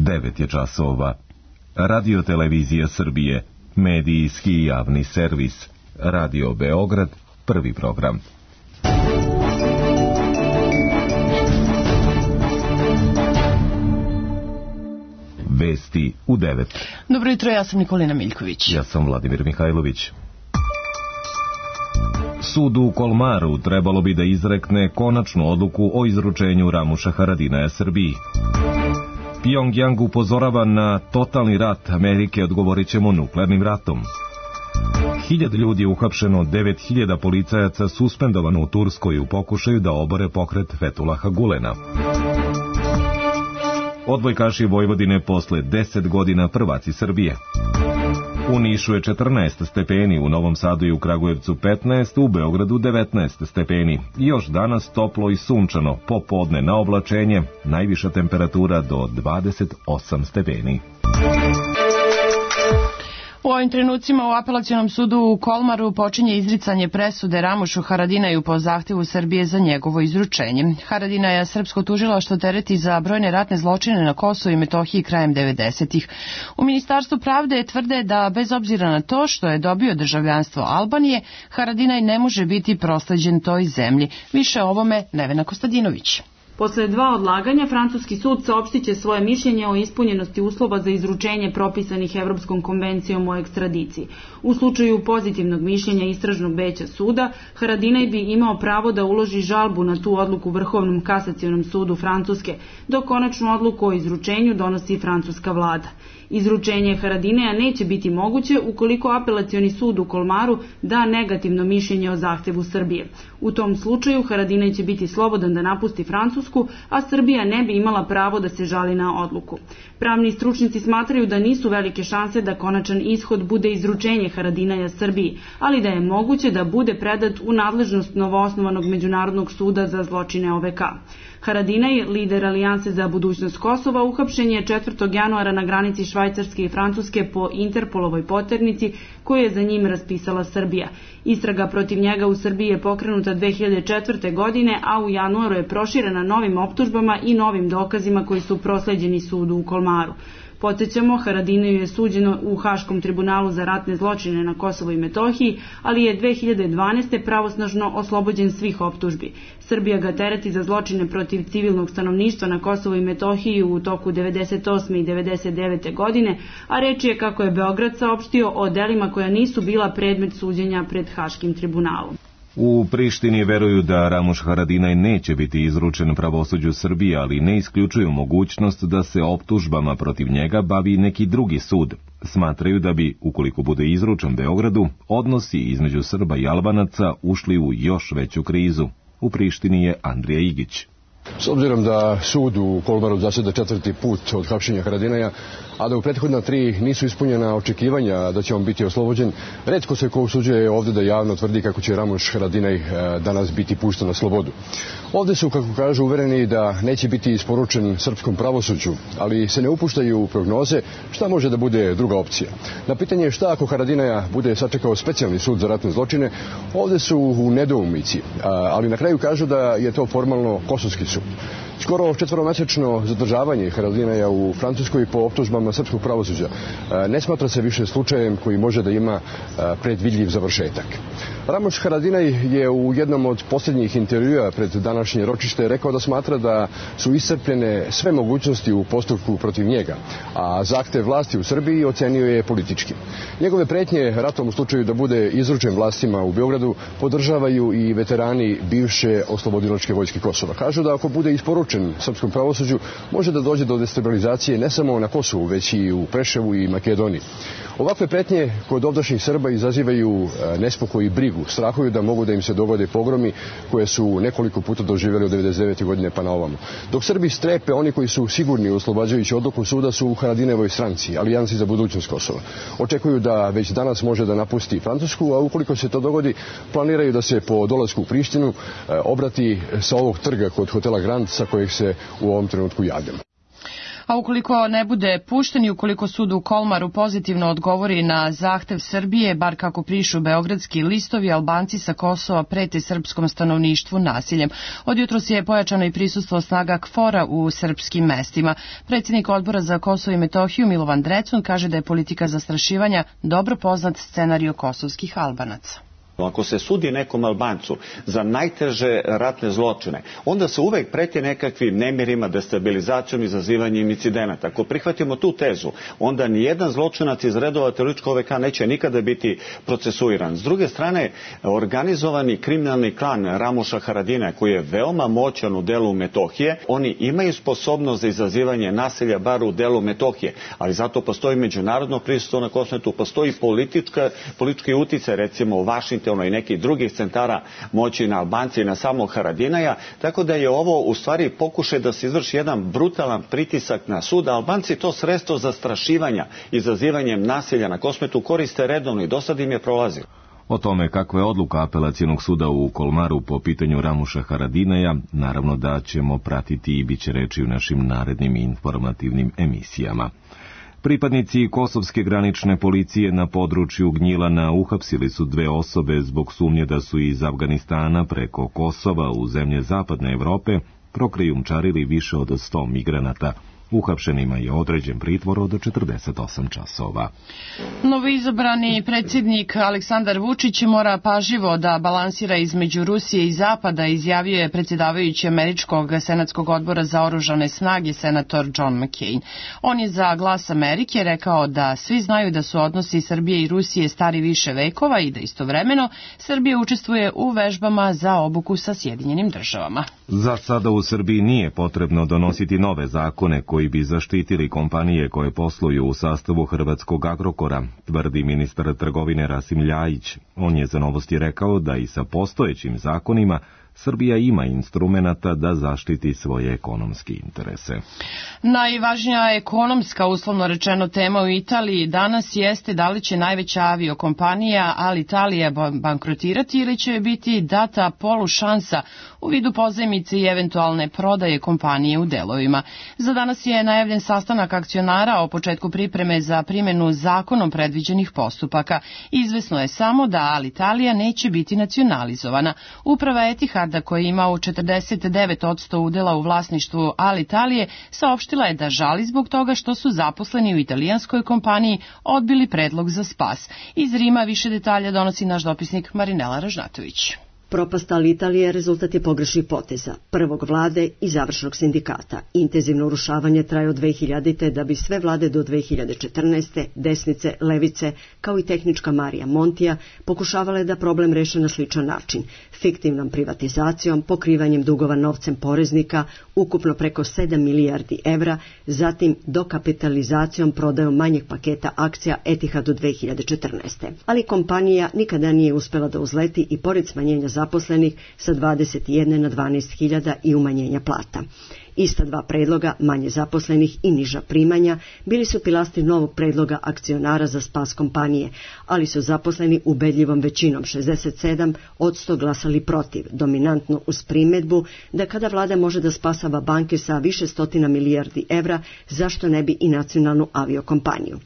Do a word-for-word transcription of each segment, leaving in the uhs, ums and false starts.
devet je časova. Radio Televizija Srbije, medijski javni servis. Radio Beograd, prvi program. Vesti u devet. Dobro jutro, ja sam Nikolina Miljković. Ja sam Vladimir Mihajlović. Sud u Kolmaru trebalo bi da izrekne konačnu odluku o izručenju Ramuša Haradinaja Srbiji. Pjongjang upozorava na totalni rat Amerike, odgovorit ćemo nuklearnim ratom. Hiljad ljudi je uhapšeno, devet hiljada policajaca suspendovano u Turskoj u pokušaju da obore pokret Fetulaha Gulena. Odbojkaši Vojvodine posle deset godina prvaci Srbije. U Nišu je četrnaest stepeni, u Novom Sadu i u Kragujevcu petnaest, u Beogradu devetnaest stepeni. Još danas toplo i sunčano, popodne na oblačenje, najviša temperatura do dvadeset osam stepeni. U ovim trenucima u Apelacionom sudu u Kolmaru počinje izricanje presude Ramušu Haradinaju po zahtevu Srbije za njegovo izručenje. Haradinaja srpsko tužilaštvo tereti za brojne ratne zločine na Kosovu i Metohiji krajem devedesetih. U Ministarstvu pravde tvrde da bez obzira na to što je dobio državljanstvo Albanije, Haradinaj ne može biti prosleđen toj zemlji. Više o ovome Nevena Kostadinović. Posle dva odlaganja, francuski sud saopštit će svoje mišljenje o ispunjenosti uslova za izručenje propisanih Evropskom konvencijom o ekstradiciji. U slučaju pozitivnog mišljenja istražnog veća suda, Haradinaj bi imao pravo da uloži žalbu na tu odluku Vrhovnom kasacionom sudu Francuske, dok konačnu odluku o izručenju donosi francuska vlada. Izručenje Haradinaja neće biti moguće ukoliko Apelacioni sud u Kolmaru da negativno mišljenje o zahtevu Srbije. U tom slučaju Haradinaj će biti slobodan da napusti Francusku, a Srbija ne bi imala pravo da se žali na odluku. Pravni stručnici smatraju da nisu velike šanse da konačan ishod bude izručenje Haradinaja Srbiji, ali da je moguće da bude predat u nadležnost novoosnovanog Međunarodnog suda za zločine O V K. Haradinaj, lider Alijanse za budućnost Kosova, uhapšen je četvrtog januara na granici Švajcarske i Francuske po Interpolovoj poternici koju je za njim raspisala Srbija. Istraga protiv njega u Srbiji je pokrenuta dve hiljade četvrte. godine, a u januaru je proširena novim optužbama i novim dokazima koji su prosleđeni sudu u Kolmaru. Podsećamo, Haradinaju je suđeno u Haškom tribunalu za ratne zločine na Kosovu i Metohiji, ali je dve hiljade dvanaeste. pravosnažno oslobođen svih optužbi. Srbija ga tereti za zločine protiv civilnog stanovništva na Kosovu i Metohiji u toku devedeset osme. i devedeset devete. godine, a reč je, kako je Beograd saopštio, o delima koja nisu bila predmet suđenja pred Haškim tribunalom. U Prištini veruju da Ramuš Haradinaj neće biti izručen pravosuđu Srbije, ali ne isključuju mogućnost da se optužbama protiv njega bavi neki drugi sud. Smatraju da bi, ukoliko bude izručen Beogradu, odnosi između Srba i Albanaca ušli u još veću krizu. U Prištini je Andrija Igić. S obzirom da sud u Kolmaru zaseda četvrti put od hapšenja Haradinaja, a da u prethodna tri nisu ispunjena očekivanja da će on biti oslobođen, retko se ko usuđuje ovdje da javno tvrdi kako će Ramuš Haradinaj danas biti pušten na slobodu. Ovdje su, kako kažu, uvereni da neće biti isporučen srpskom pravosuđu, ali se ne upuštaju u prognoze šta može da bude druga opcija. Na pitanje šta ako Haradinaja bude sačekao specijalni sud za ratne zločine, ovdje su u nedoumici, ali na kraju kažu da je to formalno kosovski sud. Skoro četvoromesečno zadržavanje Haradinaja u Francuskoj po optužbama srpskog pravosuđa ne smatra se više slučajem koji može da ima predvidljiv završetak. Ramuš Haradinaj je u jednom od posljednjih intervjua pred današnje ročište rekao da smatra da su iscrpljene sve mogućnosti u postupku protiv njega, a zahtev vlasti u Srbiji ocenio je politički. Njegove pretnje ratom u slučaju da bude izručen vlastima u Beogradu podržavaju i veterani bivše oslobodilačke vojske Kosova. Kažu da ako bude isporučen srpskom pravosuđu, može da dođe do destabilizacije ne samo na Kosovu, već i u Preševu i Makedoniji. Ovakve pretnje kod ovdašnjih Srba izazivaju nespokoj i brigu. Strahuju da mogu da im se dogode pogromi koje su nekoliko puta doživjeli od devedeset devete. godine pa na ovamo. Dok Srbi strepe, oni koji su sigurni oslobađajući odluku suda su u Haradinajevoj stranci, Alijansi za budućnost Kosova. Očekuju da već danas može da napusti Francusku, a ukoliko se to dogodi, planiraju da se po dolasku u Prištinu obrati sa ovog trga kod hotela Grand sa kojeg se u ovom trenutku javljamo. A ukoliko ne bude pušten i ukoliko sud u Kolmaru pozitivno odgovori na zahtev Srbije, bar kako pišu beogradski listovi, Albanci sa Kosova prete srpskom stanovništvu nasiljem. Od jutros je pojačano i prisustvo snaga KFOR-a u srpskim mestima. Predsjednik Odbora za Kosovo i Metohiju Milovan Drecun kaže da je politika zastrašivanja dobro poznat scenario kosovskih Albanaca. Ako se sudi nekom Albancu za najteže ratne zločine, onda se uvek preti nekakvim nemirima, destabilizacijom, izazivanjem incidenata. Ako prihvatimo tu tezu, onda nijedan zločinac iz redova terorističkog O V K neće nikada biti procesuiran. S druge strane, organizovani kriminalni klan Ramuša Haradina, koji je veoma moćan u delu Metohije, oni imaju sposobnost za izazivanje nasilja bar u delu Metohije, ali zato postoji međunarodno prisustvo na Kosovu, postoji politička, politički uticaj, recimo u Vašingtonu i nekih drugih centara moći na Albanci i na samog Haradinaja, tako da je ovo u stvari pokušaj da se izvrši jedan brutalan pritisak na sud. Albanci to sredstvo zastrašivanja, izazivanjem nasilja na Kosmetu koriste redovno i do sad im je prolazilo. O tome kakva je odluka apelacionog suda u Kolmaru po pitanju Ramuša Haradinaja, naravno da ćemo pratiti i bit će reči u našim narednim informativnim emisijama. Pripadnici kosovske granične policije na području Gnjilana uhapsili su dve osobe zbog sumnje da su iz Afganistana preko Kosova u zemlje zapadne Evrope prokrijumčarili više od sto migranata. Uhapšenima je određen pritvor od četrdeset osam časova. Novoizabrani predsjednik Aleksandar Vučić mora pažljivo da balansira između Rusije i Zapada, izjavio je predsjedavajući Američkog senatskog odbora za oružane snage senator John McCain. On je za Glas Amerike rekao da svi znaju da su odnosi Srbije i Rusije stari više vekova i da istovremeno Srbija učestvuje u vežbama za obuku sa Sjedinjenim državama. Za sada u Srbiji nije potrebno donositi nove zakone koji bi zaštitili kompanije koje posluju u sastavu hrvatskog Agrokora, tvrdi ministar trgovine Rasim Ljajić. On je za Novosti rekao da i sa postojećim zakonima Srbija ima instrumenata da zaštiti svoje ekonomske interese. Najvažnija ekonomska, uslovno rečeno, tema u Italiji danas jeste da li će najveća aviokompanija Alitalia bankrotirati ili će biti data polušansa u vidu pozajmice i eventualne prodaje kompanije u delovima. Za danas je najavljen sastanak akcionara o početku pripreme za primjenu zakonom predviđenih postupaka. Izvesno je samo da Alitalia neće biti nacionalizovana. Uprava Etihada, koja ima u četrdeset devet posto udela u vlasništvu Alitalije, saopštila je da žali zbog toga što su zaposleni u italijanskoj kompaniji odbili predlog za spas. Iz Rima više detalja donosi naš dopisnik Marinela Ražnatović. Propast Alitalije rezultat je pogrešnih poteza, prvog vlade i završnog sindikata. Intenzivno urušavanje traje od dve hiljadite da bi sve vlade do dve hiljade četrnaeste. desnice, levice, kao i tehnička Marija Montija pokušavale da problem reše na sličan način, fiktivnom privatizacijom, pokrivanjem dugova novcem poreznika, ukupno preko sedam milijardi evra, zatim dokapitalizacijom prodajom manjeg paketa akcija Etihadu dve hiljade četrnaeste. Ali kompanija nikada nije uspela da uzleti i pored smanjenja zaposlenih sa dvadeset jedne na dvanaest hiljada i umanjenja plata. Ista dva predloga, manje zaposlenih i niža primanja, bili su pilasti novog predloga akcionara za spas kompanije, ali su zaposleni ubedljivom većinom šezdeset sedam posto glasali protiv, dominantno uz primedbu da kada vlada može da spasava banke sa više stotina milijardi evra, zašto ne bi i nacionalnu aviokompaniju.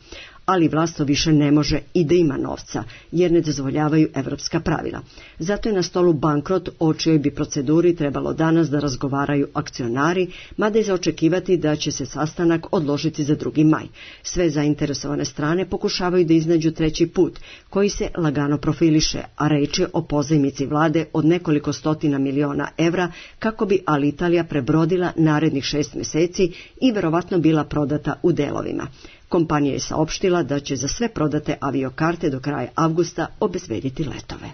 Ali vlast to više ne može i da ima novca, jer ne dozvoljavaju evropska pravila. Zato je na stolu bankrot, o čijoj bi proceduri trebalo danas da razgovaraju akcionari, mada je za očekivati da će se sastanak odložiti za drugi maj. Sve zainteresovane strane pokušavaju da iznađu treći put, koji se lagano profiliše, a reč je o pozajmici vlade od nekoliko stotina miliona evra, kako bi Alitalija prebrodila narednih šest meseci i verovatno bila prodata u delovima. Kompanija je saopštila da će za sve prodate aviokarte do kraja avgusta obezbediti letove.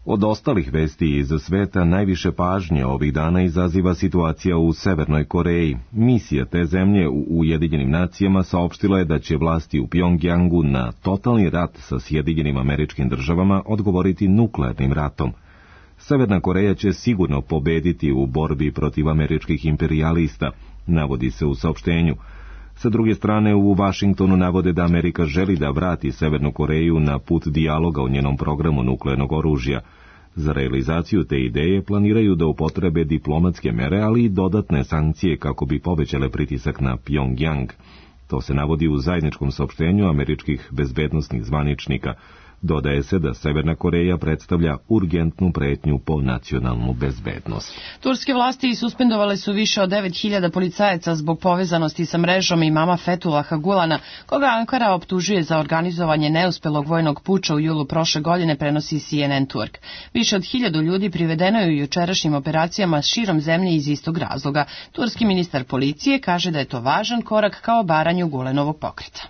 Od ostalih vesti iz sveta najviše pažnje ovih dana izaziva situacija u Severnoj Koreji. Misija te zemlje u Ujedinjenim nacijama saopštila je da će vlasti u Pjongjangu na totalni rat sa Sjedinjenim Američkim Državama odgovoriti nuklearnim ratom. Severna Koreja će sigurno pobediti u borbi protiv američkih imperijalista, navodi se u saopštenju. Sa druge strane, u Vašingtonu navode da Amerika želi da vrati Severnu Koreju na put dijaloga o njenom programu nuklearnog oružja. Za realizaciju te ideje planiraju da upotrebe diplomatske mere, ali i dodatne sankcije kako bi povećale pritisak na Pjongjang. To se navodi u zajedničkom saopštenju američkih bezbednosnih zvaničnika. Dodaje se da Severna Koreja predstavlja urgentnu pretnju po nacionalnu bezbednost. Turske vlasti suspendovale su više od devet hiljada policajaca zbog povezanosti sa mrežom imama Fethullaha Gulana, koga Ankara optužuje za organizovanje neuspelog vojnog puča u julu prošle godine, prenosi C N N Turk. Više od hiljadu ljudi privedeno je u jučerašnjim operacijama širom zemlje iz istog razloga. Turski ministar policije kaže da je to važan korak ka obaranju Gulenovog pokreta.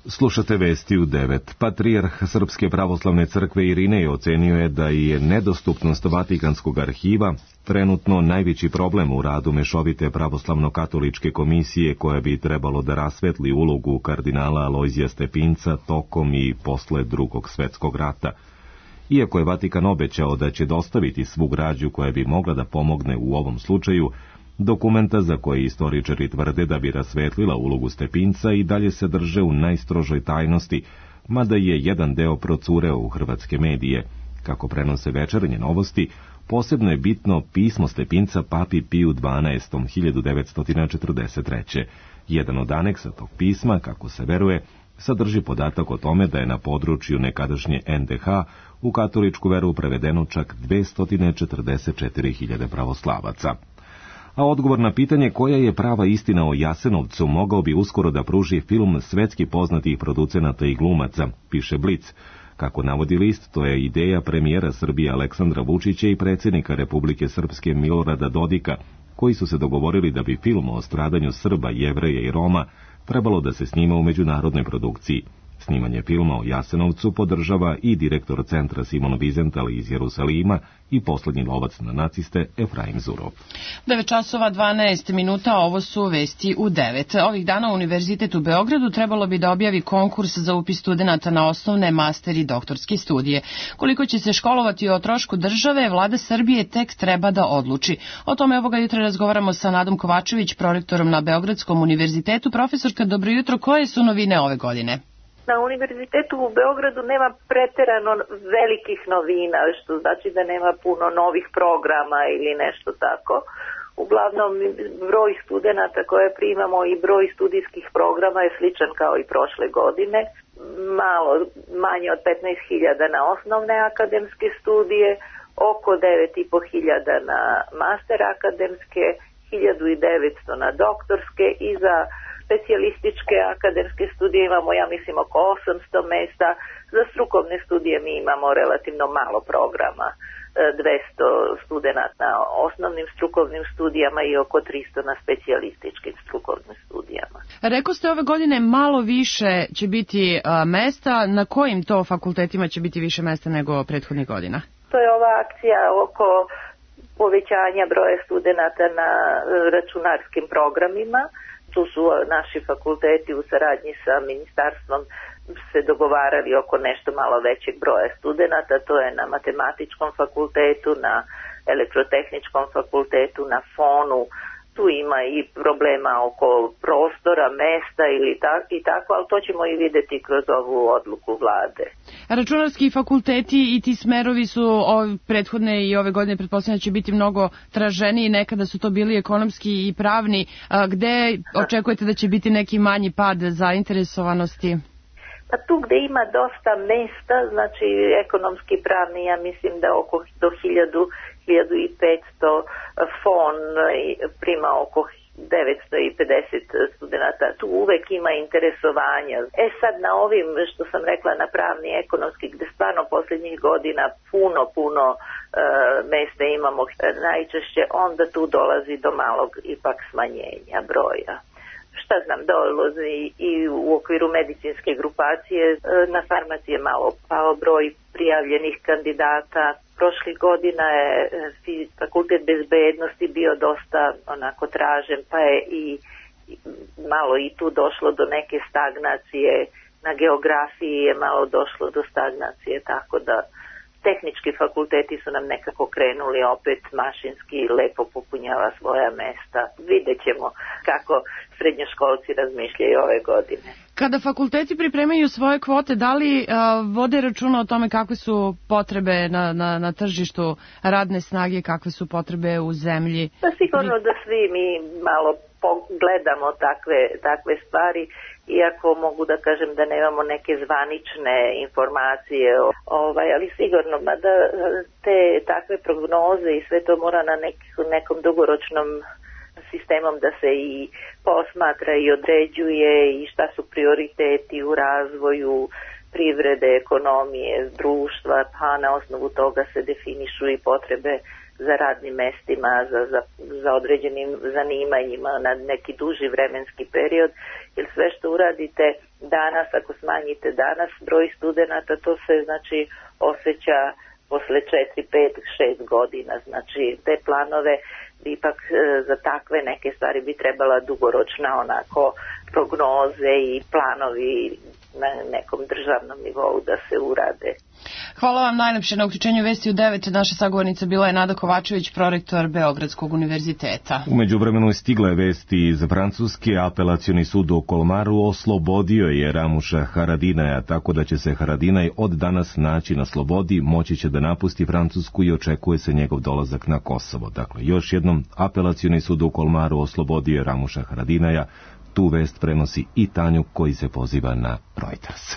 Slušate vesti u devet. Patrijarh Srpske pravoslavne crkve Irinej ocenio je da je nedostupnost Vatikanskog arhiva trenutno najveći problem u radu Mešovite pravoslavno-katoličke komisije, koja bi trebalo da rasvetli ulogu kardinala Alojzija Stepinca tokom i posle Drugog svetskog rata. Iako je Vatikan obećao da će dostaviti svu građu koja bi mogla da pomogne u ovom slučaju, dokumenta za koje istoričari tvrde da bi rasvetlila ulogu Stepinca i dalje se drže u najstrožoj tajnosti, mada je jedan deo procureo u hrvatske medije. Kako prenose Večernje novosti, posebno je bitno pismo Stepinca papi Piju dvanaestom hiljadu devetsto četrdeset treće. Jedan od aneksa tog pisma, kako se veruje, sadrži podatak o tome da je na području nekadašnje N D H u katoličku veru prevedeno čak dvesta četrdeset četiri hiljade pravoslavaca. A odgovor na pitanje koja je prava istina o Jasenovcu mogao bi uskoro da pruži film svetski poznatih producenata i glumaca, piše Blic. Kako navodi list, to je ideja premijera Srbije Aleksandra Vučića i predsjednika Republike Srpske Milorada Dodika, koji su se dogovorili da bi film o stradanju Srba, Jevreja i Roma trebalo da se snima u međunarodnoj produkciji. Snimanje filma o Jasenovcu podržava i direktor centra Simon Wiesenthal iz Jerusalima i poslednji lovac na naciste Efraim Zurov. devet časova dvanaest minuta, ovo su vesti u devet. Ovih dana Univerzitet u Beogradu trebalo bi da objavi konkurs za upis studenata na osnovne, master i doktorske studije. Koliko će se školovati o trošku države, vlada Srbije tek treba da odluči. O tome ovoga jutra razgovaramo sa Nadom Kovačević, prorektorom na Beogradskom univerzitetu. Profesorka, dobro jutro, koje su novine ove godine? Na Univerzitetu u Beogradu nema preterano velikih novina, što znači da nema puno novih programa ili nešto tako. Uglavnom, broj studenata koje primamo i broj studijskih programa je sličan kao i prošle godine. Malo manje od petnaest hiljada na osnovne akademske studije, oko devet i po hiljada na master akademske, hiljadu devetsto na doktorske i za specijalističke akademske studije imamo, ja mislim, oko osamsto mesta. Za strukovne studije mi imamo relativno malo programa, dvesta studenata na osnovnim strukovnim studijama i oko tristo na specijalističkim strukovnim studijama. Rekao ste ove godine malo više će biti a, mesta. Na kojim to fakultetima će biti više mesta nego prethodnih godina? To je ova akcija oko povećanja broja studenata na računarskim programima. Tu su naši fakulteti u saradnji sa ministarstvom se dogovarali oko nešto malo većeg broja studenata. To je na matematičkom fakultetu, na elektrotehničkom fakultetu, na fonu. Tu ima i problema oko prostora, mesta ili tak, i tako, ali to ćemo i vidjeti kroz ovu odluku vlade. Računarski fakulteti i ti smerovi su ove prethodne i ove godine pretpostavljam će biti mnogo traženiji, nekada su to bili ekonomski i pravni. A gde očekujete da će biti neki manji pad zainteresovanosti? Pa tu gde ima dosta mesta, znači ekonomski pravni, ja mislim da oko do hiljadu, hiljadu petsto, fon prima oko devetsto pedeset studenta. Tu uvek ima interesovanja. E sad na ovim, što sam rekla, na pravni i ekonomski, gde stvarno posljednjih godina puno, puno e, mesta imamo najčešće, onda tu dolazi do malog ipak smanjenja broja. Šta znam, dolazi i u okviru medicinske grupacije, na farmaciji je malo pao broj prijavljenih kandidata. Prošlih godina je fakultet bezbednosti bio dosta onako tražen, pa je i malo i tu došlo do neke stagnacije. Na geografiji je malo došlo do stagnacije, tako da tehnički fakulteti su nam nekako krenuli opet mašinski i lepo popunjava svoja mesta. Vidjet ćemo kako srednjoškolci razmišljaju ove godine. Kada fakulteti pripremaju svoje kvote, da li a, vode računa o tome kakve su potrebe na, na, na tržištu radne snage, kakve su potrebe u zemlji? Pa sigurno da svi mi malo pogledamo takve, takve stvari, iako mogu da kažem da nemamo neke zvanične informacije, ovaj, ali sigurno da te takve prognoze i sve to mora na nek, nekom dugoročnom sistemom da se i posmatra i određuje i šta su prioriteti u razvoju privrede, ekonomije, društva, pa na osnovu toga se definišu i potrebe za radnim mestima, za, za, za određenim zanimanjima na neki duži vremenski period, jer sve što uradite danas, ako smanjite danas broj studenata, to se znači osjeća posle četiri, pet, šest godina. Znači te planove ipak za takve neke stvari bi trebala dugoročna onako prognoze i planovi na nekom državnom nivou da se urade. Hvala vam najlepše na uključenju Vesti u devet. Naša sagovornica bila je Nada Kovačević, prorektor Beogradskog univerziteta. U međuvremenu je stigla je vesti iz Francuske. Apelacioni sud u Kolmaru oslobodio je Ramuša Haradinaja, tako da će se Haradinaj od danas naći na slobodi, moći će da napusti Francusku i očekuje se njegov dolazak na Kosovo. Dakle, još jednom, apelacioni sud u Kolmaru oslobodio je Ramuša Haradinaja. Tu vest prenosi i Tanjuk koji se poziva na Reuters.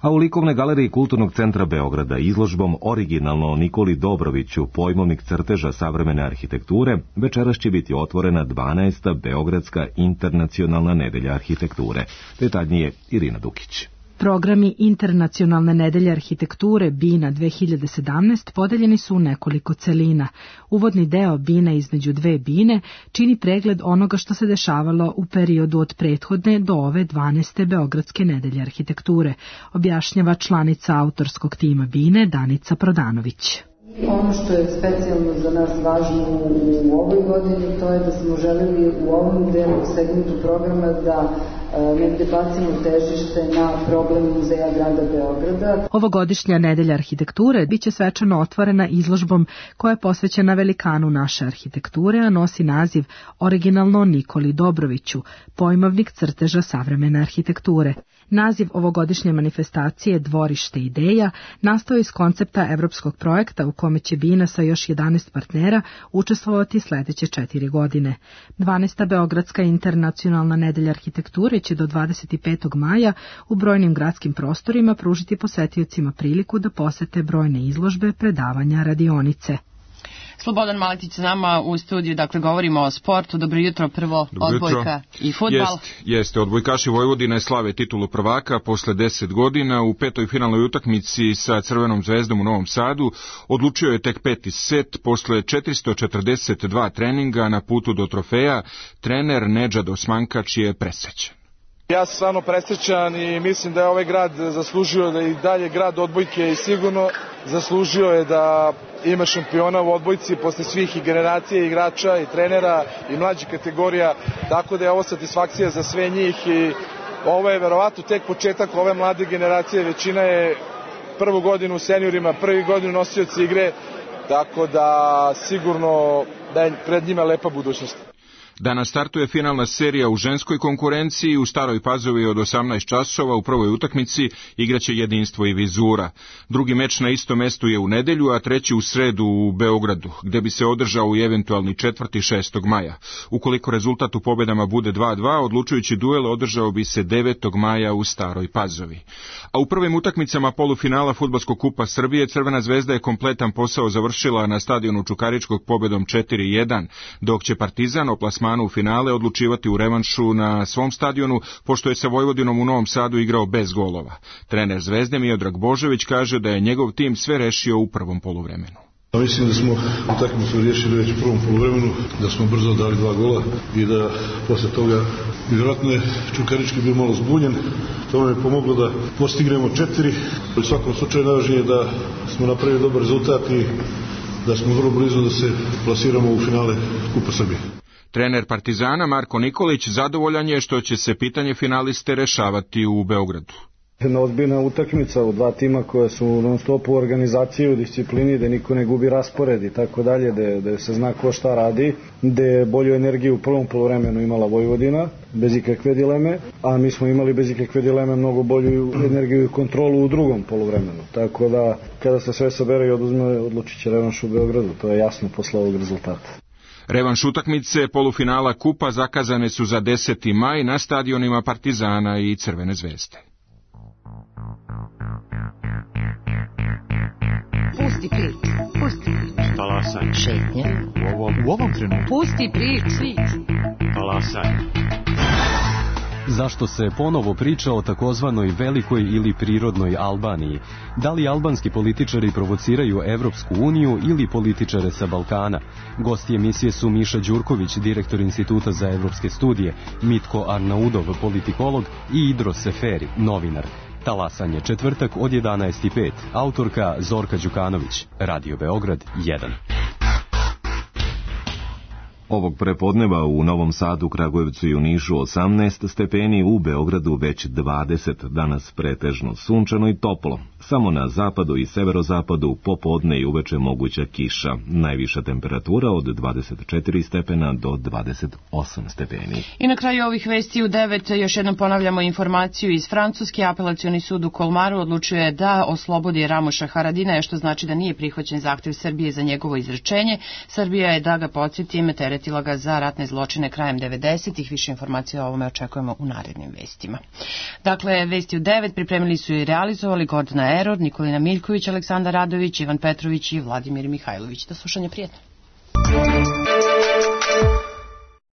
A u likovnoj galeriji Kulturnog centra Beograda izložbom originalno o Nikoli Dobroviću, pojmovnik crteža savremene arhitekture, večeras će biti otvorena dvanaesta Beogradska internacionalna nedelja arhitekture. Detaljnije Irina Dukić. Programi Internacionalne nedelje arhitekture BINA dve hiljade sedamnaest podeljeni su u nekoliko celina. Uvodni deo BINA između dve BINE čini pregled onoga što se dešavalo u periodu od prethodne do ove dvanaeste Beogradske nedelje arhitekture, objašnjava članica autorskog tima BINE Danica Prodanović. Ono što je specijalno za nas važno u ovoj godini, to je da smo želeli u ovom delu segmentu programa da negde bacimo težište na problem muzeja grada Beograda. Ovogodišnja nedelja arhitekture biće svečano otvorena izložbom koja je posvećena velikanu naše arhitekture, a nosi naziv originalno Nikoli Dobroviću, pojmovnik crteža savremene arhitekture. Naziv ovogodišnje manifestacije Dvorište ideja nastao iz koncepta evropskog projekta u kome će BINA sa još jedanaest partnera učestvovati sledeće četiri godine. dvanaesta Beogradska internacionalna nedelja arhitekture će do dvadeset petog maja u brojnim gradskim prostorima pružiti posetiocima priliku da posete brojne izložbe, predavanja, radionice. Slobodan Maletić s nama u studiju, dakle govorimo o sportu. Dobro jutro, prvo Dobro odbojka jutro. I fudbal. Jest, jeste, odbojkaši Vojvodine slave titulu prvaka posle deset godina. U petoj finalnoj utakmici sa Crvenom zvezdom u Novom Sadu odlučio je tek peti set. Posle četiristo četrdeset dva treninga na putu do trofeja, trener Nedžad Osmankač je presrećan. Ja sam stvarno presrećan i mislim da je ovaj grad zaslužio da i dalje grad odbojke i sigurno zaslužio je da ima šampiona u odbojci posle svih i generacije igrača i trenera i mlađih kategorija, tako da je ovo satisfakcija za sve njih i ovo je verovatno tek početak ove mlade generacije, većina je prvu godinu u seniorima, prvi godinu nosioci igre, tako da sigurno da je pred njima lepa budućnost. Danas startuje finalna serija u ženskoj konkurenciji. U Staroj Pazovi od osamnaest časova u prvoj utakmici igraće Jedinstvo i Vizura. Drugi meč na istom mestu je u nedelju, a treći u sredu u Beogradu, gde bi se održao i eventualni četvrti šestog maja. Ukoliko rezultat u pobedama bude dva dva, odlučujući duel održao bi se devetog maja u Staroj Pazovi. A u prvim utakmicama polufinala Fudbalskog kupa Srbije Crvena zvezda je kompletan posao završila na stadionu Čukaričkog pobedom četiri jedan, dok će Partizan o plasmanu u finale odlučivati u revanšu na svom stadionu, pošto je sa Vojvodinom u Novom Sadu igrao bez golova. Trener Zvezde Miodrag Božović kaže da je njegov tim sve rešio u prvom poluvremenu. Mislim da smo utakmicu riješili već u prvom poluvremenu, da smo brzo dali dva gola i da posle toga vjerojatno je Čukarički bio malo zbunjen. To nam je pomoglo da postignemo četiri. U svakom slučaju najvažnije je da smo napravili dobar rezultat i da smo vrlo blizu da se plasiramo u finale Kupa Srbije. Trener Partizana Marko Nikolić zadovoljan je što će se pitanje finaliste rešavati u Beogradu. Jedna ozbiljna utakmica u dva tima koja su non stop u organizaciji, u disciplini, da niko ne gubi raspored i tako dalje, da se zna ko šta radi, da je bolju energiju u prvom poluvremenu imala Vojvodina, bez ikakve dileme, a mi smo imali bez ikakve dileme mnogo bolju energiju i kontrolu u drugom poluvremenu. Tako da, kada se sve sabere i oduzme, odlučit će revanš u Beogradu, to je jasno posle ovog rezultata. Revanš utakmice polufinala kupa zakazane su za deseti maj na stadionima Partizana i Crvene zvezde. Pusti priču, pusti priču. Talasanje. Šetnja. U ovom, u ovom trenutku. Pusti priču. Talasanje. Zašto se ponovo priča o takozvanoj velikoj ili prirodnoj Albaniji? Da li albanski političari provociraju Evropsku uniju ili političare sa Balkana? Gosti emisije su Miša Đurković, direktor Instituta za evropske studije, Mitko Arnaudov, politikolog i Idro Seferi, novinar. Talasanje, četvrtak od jedanaest i pet. Autorka Zorka Đukanović. Radio Beograd jedan. Ovog prepodneva u Novom Sadu, Kragujevcu i u Nišu osamnaest stepeni, u Beogradu već dvadeset, danas pretežno sunčano i toplo. Samo na zapadu i severozapadu popodne i uveče moguća kiša. Najviša temperatura od dvadeset četiri stepena do dvadeset osam stepeni. I na kraju ovih vesti u devet još jednom ponavljamo informaciju iz Francuske. Apelacioni sud u Kolmaru odlučuje da oslobodi Ramuša Haradinaja, što znači da nije prihvaćen zahtev Srbije za njegovo izručenje. Srbija je, da ga podsjetim, teretila ga za ratne zločine krajem devedesetih. Više informacija o ovome očekujemo u narednim vestima. Dakle, vesti u devet pripremili su i realizovali Gordana Erod, Nikolina Miljković, Aleksandar Radović, Ivan Petrović i Vladimir Mihajlović. Do slušanja, prijetno.